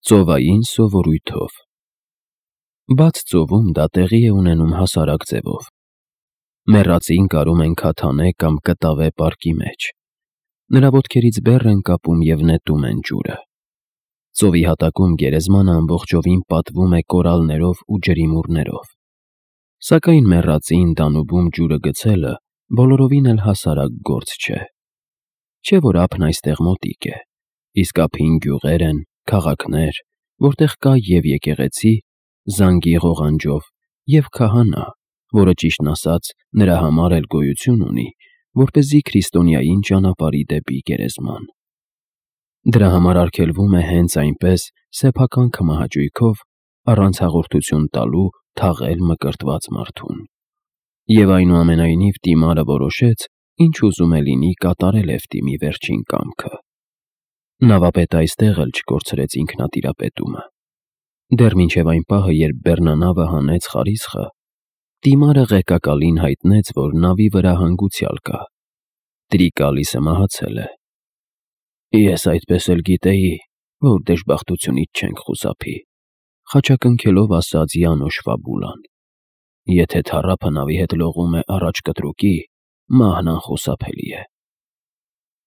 Ծովային սովորույթով։ Բաց ծովում դա տեղի է ունենում հասարակ ձևով։ Մեռածին կարում են քաթանե կամ կտավե պարկի մեջ։ Նրա ոտքերից բեռ են կապում և նետում են ջուրը։ Ծովի հատակում գերեզմանը ամբողջովին պատվում է կորալներով ու ջրիմուռներով։ Սակայն մեռածին դանուբում ջուրը գցելը բոլորովին էլ հասարակ գործ չէ։ Չէ՞ որ ափն այստեղ մոտիկ է, իսկ ափին գյուղեր են, քաղաքներ, որտեղ կա և եկեղեցի, զանգի ղողանջով, և քահանա, որը ճիշտն ասած նրա համար էլ գոյություն ունի, որպեսզի քրիստոնյային ճանապարհի դեպի գերեզման։ Դրա համար արգելվում է հենց այնպես սեփական քմահաճույքով, առանց հաղորդություն տալու թաղել մկրտված մարդուն։ Եվ այնուամենայնիվ դիմարը որոշեց, ինչ ուզում է լինի, կատարել Էվտիմի վերջին կամքը։ Նավապետը այստեղ էլ չկորցրեց ինքնատիրապետումը։ Դեռ մինչև այն պահը, երբ բեռնանավը հանեց խարիսխը, դիմարը ղեկակալին հայտնեց, որ նավի վրա հանգուցյալ կա։ Տրիկալիսը մահացել է։ Ես այդպես էլ գիտեի, որ դժբախտությունից չենք խուսափի, խաչակնքելով ասաց Յանոշ Ֆաբուլան։ Եթե թառափը նավի հետ լողում է առաջ կտրուկի, մահն անխուսափելի է։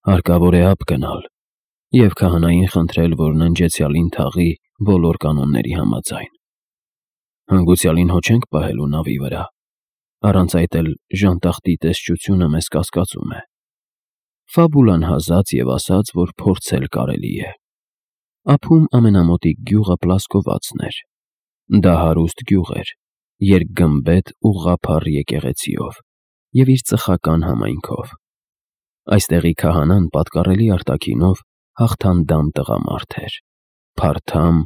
Հարկավոր է ափ գնալ և քահանային խնդրել, որ ննջեցյալին թաղի բոլոր կանոնների համաձայն։ Հանգուցյալին հո չենք պահելու նավի վրա, առանց այդ էլ ժանտախտի տեսչությունը մեզ կասկածում է։ Ֆաբուլան հազաց և ասաց, որ փորձել կարելի է։ Ափում ամենամոտիկ գյուղը Պլասկովացն էր։ Դա հարուստ գյուղ էր, երկգմբեթ ուղղափառ եկեղեցիով և իր ծխական համայնքով։ Այստեղի քահանան պատկառելի արտաքինով հաղթանդամ տղամարդ էր, փարթամ,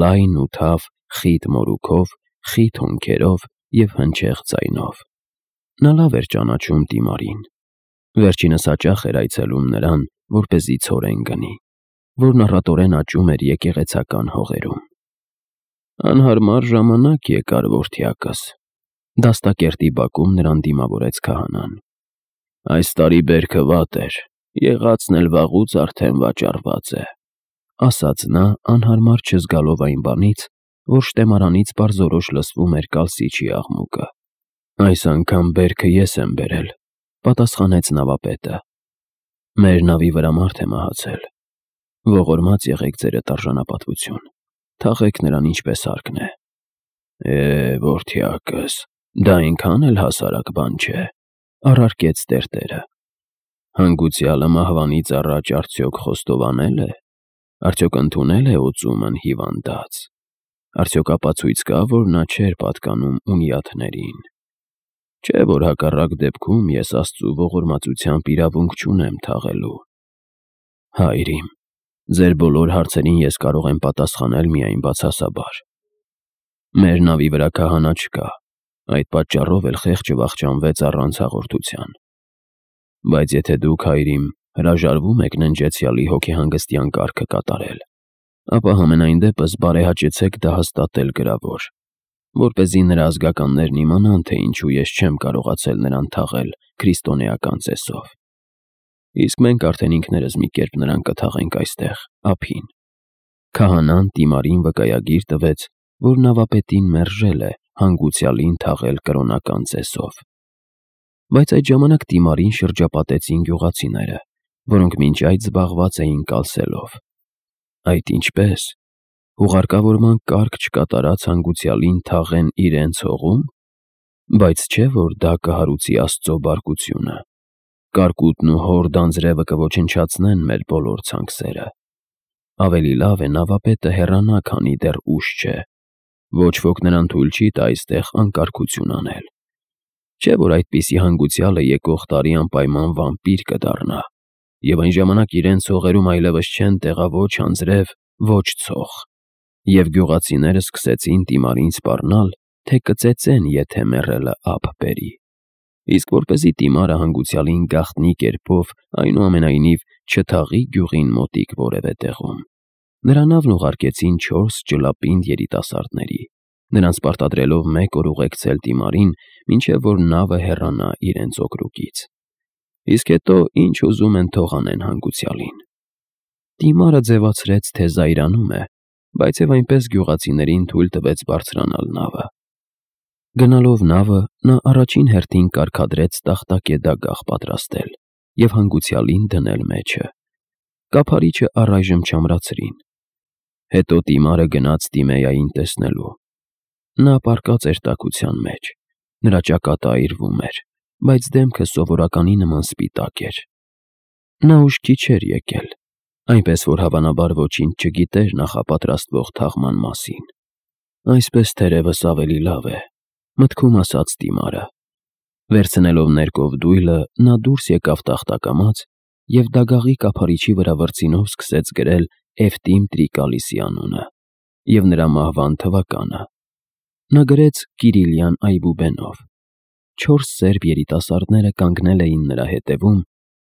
լայն ու թավ, խիտ մորուքով, խիտ հոնքերով և հնչեղ ձայնով։ Նա լավ էր ճանաչում Տիմարին։ Վերջինս հաճախ էր այցելում նրան, որպեսզի ցորեն գնի, որն առատորեն աճում էր եկեղեցական հողերում։ Անհարմար ժամանակ եկար, որդյակս, դաստակերտի բակում նրան դիմավորեց քահանան։ Այս տարի բերքը վատ էր, եղածն էլ վաղուց արդեն վաճառված է, ասաց նա, անհարմար չզգալով այն բանից, որ շտեմարանից պարզորոշ լսվում էր կալսիչի աղմուկը։ Այս անգամ բերքը ես եմ բերել, պատասխանեց նավապետը։ Մեր նավի վրա մարդ է մահացել։ Ողորմած եղեք ձերդ արժանապատվություն, թաղեք նրան ինչպես հարկն է։ Որդյակս, դա այնքան էլ հասարակ բան չէ, առարկեց տերտերը։ Հանգուցյալը մահվանից առաջ արդյոք խոստովանել է, արդյոք ընդունել է օծումն հիվանդած, արդյոք ապացույց կա, որ նա չէր պատկանում ունյաթներին։ Չէ՞ որ հակառակ դեպքում ես Աստծու ողորմածությամբ իրավունք չունեմ թաղելու։ Հայր իմ, ձեր բոլոր հարցերին ես կարող եմ պատասխանել միայն բացասաբար։ Մեր նավի վրա քահանա չկա, այդ պատճառով էլ խեղճը վախճանվեց առանց հաղորդության։ Բայց եթե դուք, հայր իմ, հրաժարվում եք ննջեցյալի հոգեհանգստյան կարգը կատարել, ապա համենայն դեպս բարեհաճեցեք դա հաստատել գրավոր, որպեսզի նրա ազգականներն իմանան, թե ինչու ես չեմ կարողացել նրան թաղել քրիստոնեական ծեսով։ Իսկ մենք արդեն ինքներս մի կերպ նրան կթաղենք այստեղ, ափին։ Քահանան Տիմարին վկայագիր տվեց, որ նավապետին մերժել է հանգուցյալին թաղել կրոնական ծեսով։ Բայց այդ ժամանակ Տիմարին շրջապատեցին գյուղացիները, որոնք մինչ այդ զբաղված էին կալսելով։ Այդ ինչպե՞ս։ Հուղարկավորման կարգ չկատարած հանգուցյալին թաղեն իրենց հողում։ Բայց չէ՞ որ դա կհարուցի Աստծո բարկությունը։ Կարկուտն ու հոր դանձրևը կոչնչացնեն մեր բոլոր ցանքսերը։ Ավելի լավ է նավապետը հեռանա, քանի դեռ ուշ չէ։ Ոչ ոք նրան թույլ չի տա այստեղ անկարգություն անել։ Չէ՞ որ այդպիսի հանգուցյալը եկող տարի անպայման վամպիր կդառնա, և այն ժամանակ իրենց հողերում այլևս չեն տեղա ոչ անձրև, ոչ ցող։ Եվ գյուղացիները սկսեցին Տիմարին սպառնալ, թե կծեծեն, եթե մեռելը ափ բերի։ Իսկ որպեսզի Տիմարը հանգուցյալին գաղտնի կերպով այնուամենայնիվ չթաղի գյուղին մոտիկ որևէ տեղում, նրա նավն ուղարկեցին 4 ճլապինդ երիտասարդների, նրանց պարտադրելով 1 օր ուղեկցել Տիմարին, մինչև որ նավը հեռանա իրենց օգրուկից։ Իսկ հետո ինչ ուզում են թող անեն հանգուցյալին։ Տիմարը ձևացրեց, թե զայրանում է, բայց եւ այնպես գյուղացիներին թույլ տվեց բարձրանալ նավը։ Գնալով նավը, նա առաջին հերթին կարգադրեց տախտակե դագաղ պատրաստել եւ հանգուցյալին դնել մեջը։ Կափարիչը առայժմ չամրացրին։ Հետո Տիմարը գնաց Տիմեյային տեսնելու։ Նա պառկած էր տաքության մեջ, նրա ճակատը այրվում էր, բայց դեմքը սովորականի նման սպիտակ էր։ Նա ուշքի չէր եկել, այնպես որ հավանաբար ոչինչ չգիտեր նախապատրաստվող թաղման մասին։ Այսպես թերևս ավելի լավ է, մտքում ասաց Տիմարը։ Վերցնելով ներկով դույլը, նա դուրս եկավ տախտակամած և դագաղի կափարիչի վրա վրձինով սկսեց գրել Էվտիմ Տրիկալիսի անունը և նրա մահվան թվականը։ Նա գրեց Կիրիլյան այբուբենով։ 4 սերբ երիտասարդները կանգնել էին նրա հետևում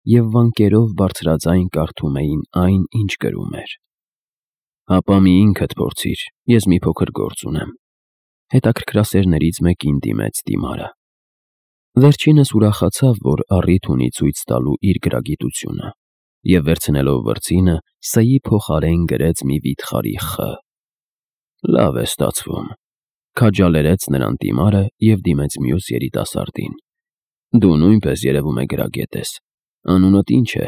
և վանկերով բարձրաձայն կարդում էին այն, ինչ գրում էր։ «Հապա մի ինքդ փորձիր, ես մի փոքր գործ ունեմ», հետաքրքրասերներից մեկին դիմեց Տիմարը։ Վերջինս ուրախացավ, որ առիթ ունի ցույց տալու իր գրագիտությունը, և վերցնելով վրձինը, Ս-ի փոխարեն գրեց մի վիթխարի Խ։ «Լավ է ստացվում», քաջալերեց նրան Տիմարը և դիմեց մյուս երիտասարդին։ «Դու նույնպես երևում է գրագետ ես։ Անունդ ի՞նչ է»։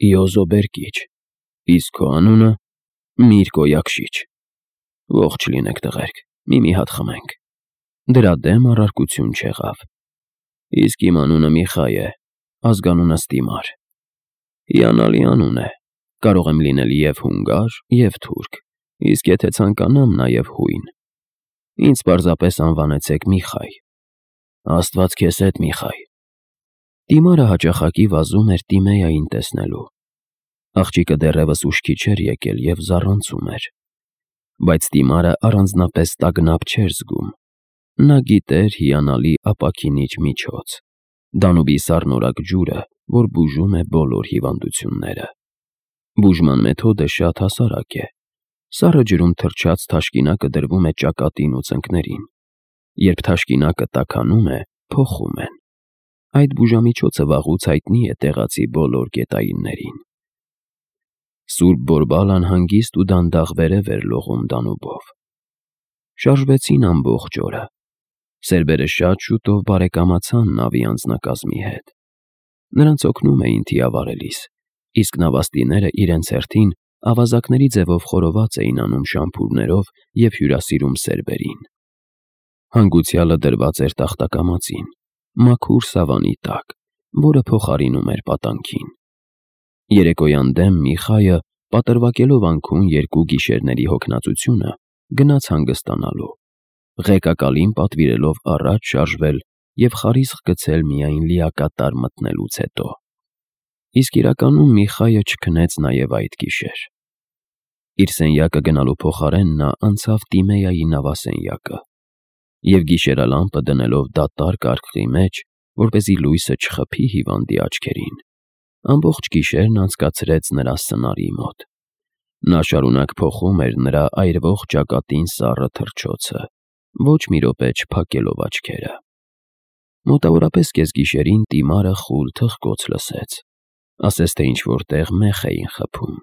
«Իոզո Բերկիչ»։ «Իսկ քո անունը»։ «Միրկո Յակշիչ»։ «Ողջ լինեք, տղերք, մի հատ խմենք»։ Դրա դեմ առարկություն չեղավ։ «Իսկ իմ անունը Միխայ է, ազգանունս Տիմար»։ «Հիանալի անուն է, կարող եմ լինել և հունգար, և թուրք, իսկ եթե ցանկանամ, նաև հույն։ Ինձ պարզապես անվանեցեք Միխայ»։ «Աստված քեզ հետ, Միխայ»։ Տիմարը հաճախակի վազում էր Տիմեյային տեսնելու։ Աղջիկը դեռևս ուշքի չէր եկել և զառանցում էր։ Բայց Տիմարը առանձնապես տագնապ չէր զգում։ Նա գիտեր հիանալի ապաքինիչ միջոց՝ Դանուբի սառնորակ ջուրը, որ բուժում է բոլոր հիվանդությունները։ Բուժման մեթոդը շատ հասարակ է։ Սառը ջրում թրջած թաշկինակը դրվում է ճակատին ու ծնկներին։ Երբ թաշկինակը տաքանում է, փոխում են։ Այդ բուժամիջոցը վաղուց հայտնի է տեղացի բոլոր գետայիններին։ Սուրբ Բորբալան հանգիստ ու դանդաղ վերև էր լողում Դանուբով։ Շարժվեցին ամբողջ օրը։ Սերբերը շատ շուտով բարեկամացան նավի անձնակազմի հետ։ Նրանց օգնում էին թիավարելիս, իսկ նավաստիները իրենց հերթին ավազակների ձևով խորոված էին անում շամփուրներով և հյուրասիրում սերբերին։ Հանգուցյալը դրված էր տախտակամածին, մաքուր սավանի տակ, որը փոխարինում էր պատանքին։ Երեկոյան դեմ Միխայը, պատրվակելով անքուն 2 գիշերների հոգնածությունը, գնաց հանգստանալու, ղեկակալին պատվիրելով առաջ շարժվել և խարիսխ գցել միայն լիակատար մտնելուց հետո։ Իսկ իրականում Միխայը չքնեց նաև այդ գիշեր։ Իր սենյակը գնալու փոխարեն նա անցավ Տիմեյայի նավասենյակը և գիշերալամպը դնելով դատարկ արկղի մեջ, որպեսզի լույսը չխփի հիվանդի աչքերին, ամբողջ գիշերն անցկացրեց նրա սնարի մոտ։ Նա շարունակ փոխում էր նրա այրվող ճակատին սառը թռչոցը, ոչ մի րոպե չփակելով աչքերը։ Մոտավորապես կեսգիշերին Տիմարը խուլ թխկոց լսեց, ասես թե ինչ-որ տեղ մեխ էին խփում։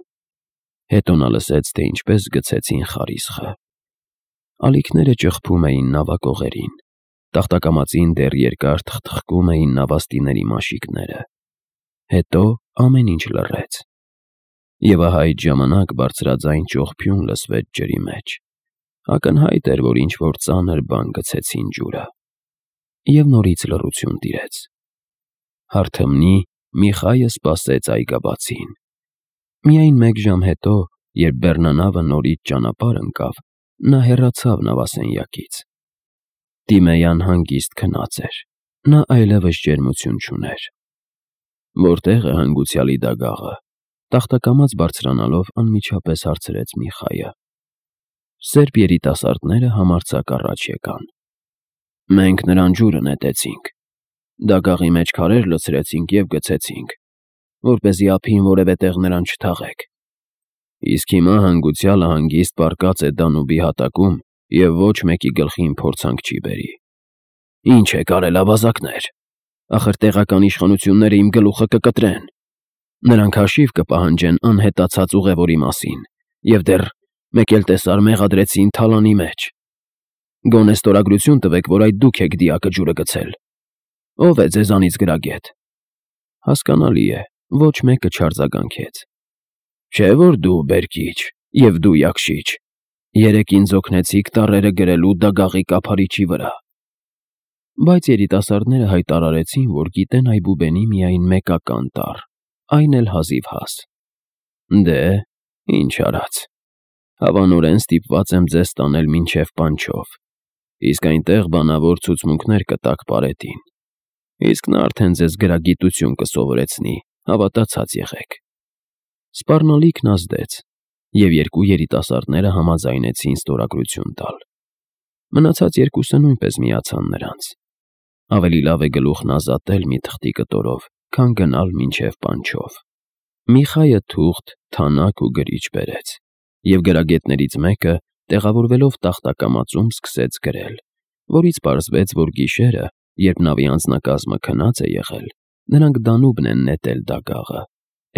Հետո նա լսեց, թե ինչպես գցեցին խարիսխը։ Ալիքները ճխփում էին նավակողերին, տախտակամածին դեռ երկար թխթխկում էին նավաստիների մաշիկները։ Հետո ամեն ինչ լռեց։ Եվ ահա այդ ժամանակ բարձրաձայն ճողփյուն լսվեց ջրի մեջ։ Ակնհայտ էր, որ ինչ-որ ծանր բան գցեցին ջուրը։ Եվ նորից լռություն տիրեց։ Հարթմնի Միխայը սպասեց այգաբացին։ Միայն 1 ժամ հետո, երբ բեռնանավը նորից ճանապարհ ընկավ, նա հեռացավ նավասենյակից։ Տիմեյան հանգիստ քնած էր։ Նա այլևս ջերմություն չուներ։ «Որտե՞ղ է հանգուցյալի դագաղը»։ Տախտակամած բարձրանալով անմիջապես հարցրեց Միխայը։ Սերբ երիտասարդները համարձակ առաջ եկան։ «Մենք նրան ջուրը նետեցինք, դագաղի մեջ քարեր լցրեցինք և գցեցինք, որպեսզի ափին որևէ տեղ նրան չթաղեք։ Իսկ հիմա հանգուցյալը հանգիստ պառկած է Դանուբի հատակում և ոչ մեկի գլխին փորձանք չի բերի։ Ինչ եք արել, ավազակներ, ախր տեղական իշխանությունները իմ գլուխը կկտրեն։ Նրանք հաշիվ կպահանջեն անհետացած ուղևորի մասին և դեռ Մեկ էլ տեսար մեղադրեցին թալանի մեջ։ Գոնե ստորագրություն տվեք, որ այդ դուք եք դիակը ջուրը գցել։ Ո՞վ է ձեզանից գրագետ։ Հասկանալի է, ոչ մեկը չարձագանքեց։ Չէ՞ որ դու բերկիչ և դու յակշիչ։ Երեկ ինձ օգնեցիք տառերը գրելու դագաղի կափարիչի վրա։ Բայց երիտասարդները հայտարարեցին, որ գիտեն այբուբենի միայն մեկական տառ, այն էլ հազիվհազ։ Դե, ինչ արած։ Հավանորեն ստիպված եմ ձեզ տանել մինչև Պանչով, իսկ այնտեղ բանավոր ցուցմունքներ կտաք պարետին, իսկ նա արդեն ձեզ գրագիտություն կսովորեցնի, հավատացած եղեք։ Սպառնալիքն ազդեց, և երկու երիտասարդները համաձայնեցին ստորագրություն տալ։ Մնացած երկուսը նույնպես միացան նրանց։ Ավելի լավ է գլուխն ազատել մի թղթի կտորով, քան գնալ մինչև Պանչով։ Միխայը թուղթ, թանակ ու գրիչ բերեց, և գրագետներից մեկը, տեղավորվելով տախտակամածում, սկսեց գրել, որից պարզվեց, որ գիշերը, երբ նավի անձնակազմը քնած է եղել, նրանք Դանուբն են նետել դագաղը,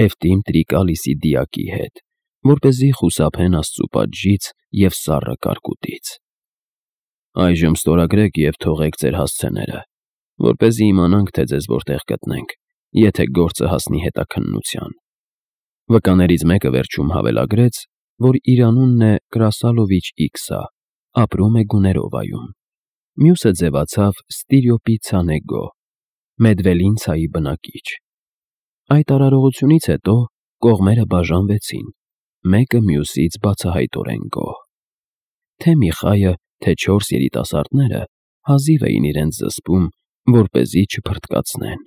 Էվտիմ Տրիկալիսի դիակի հետ, որպեսզի խուսափեն աստծու պատժից և սառը կարկուտից։ Այժմ ստորագրեք և թողեք ձեր հասցեները, որպեսզի իմանանք, թե ձեզ որտեղ գտնենք, եթե գործը հասնի հետաքննության։ Վկաներից մեկը վերջում հավելագրեց, որ իր անունն է Կրասալովիչ Իքսա, ապրում է Գուներովայում։ Մյուսը ձևացավ Ստիրյոպի Ցանեգո, Մեդվելինցայի բնակիչ։ Այդ արարողությունից հետո կողմերը բաժանվեցին, մեկը մյուսից բացահայտորեն գոհ։ Թե Միխայը, թե չորս երիտասարդները հազիվ էին իրենց զսպում, որպեսզի չփռթկացնեն։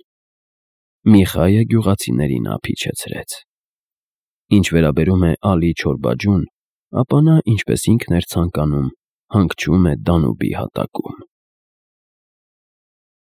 Միխայը գյուղացիներին ափիչեցրեց։ Ինչ վերաբերում է Ալի Չորբաջուն, ապա նա, ինչպես ինքն էր ցանկանում, հանգչում է Դանուբի հատակում։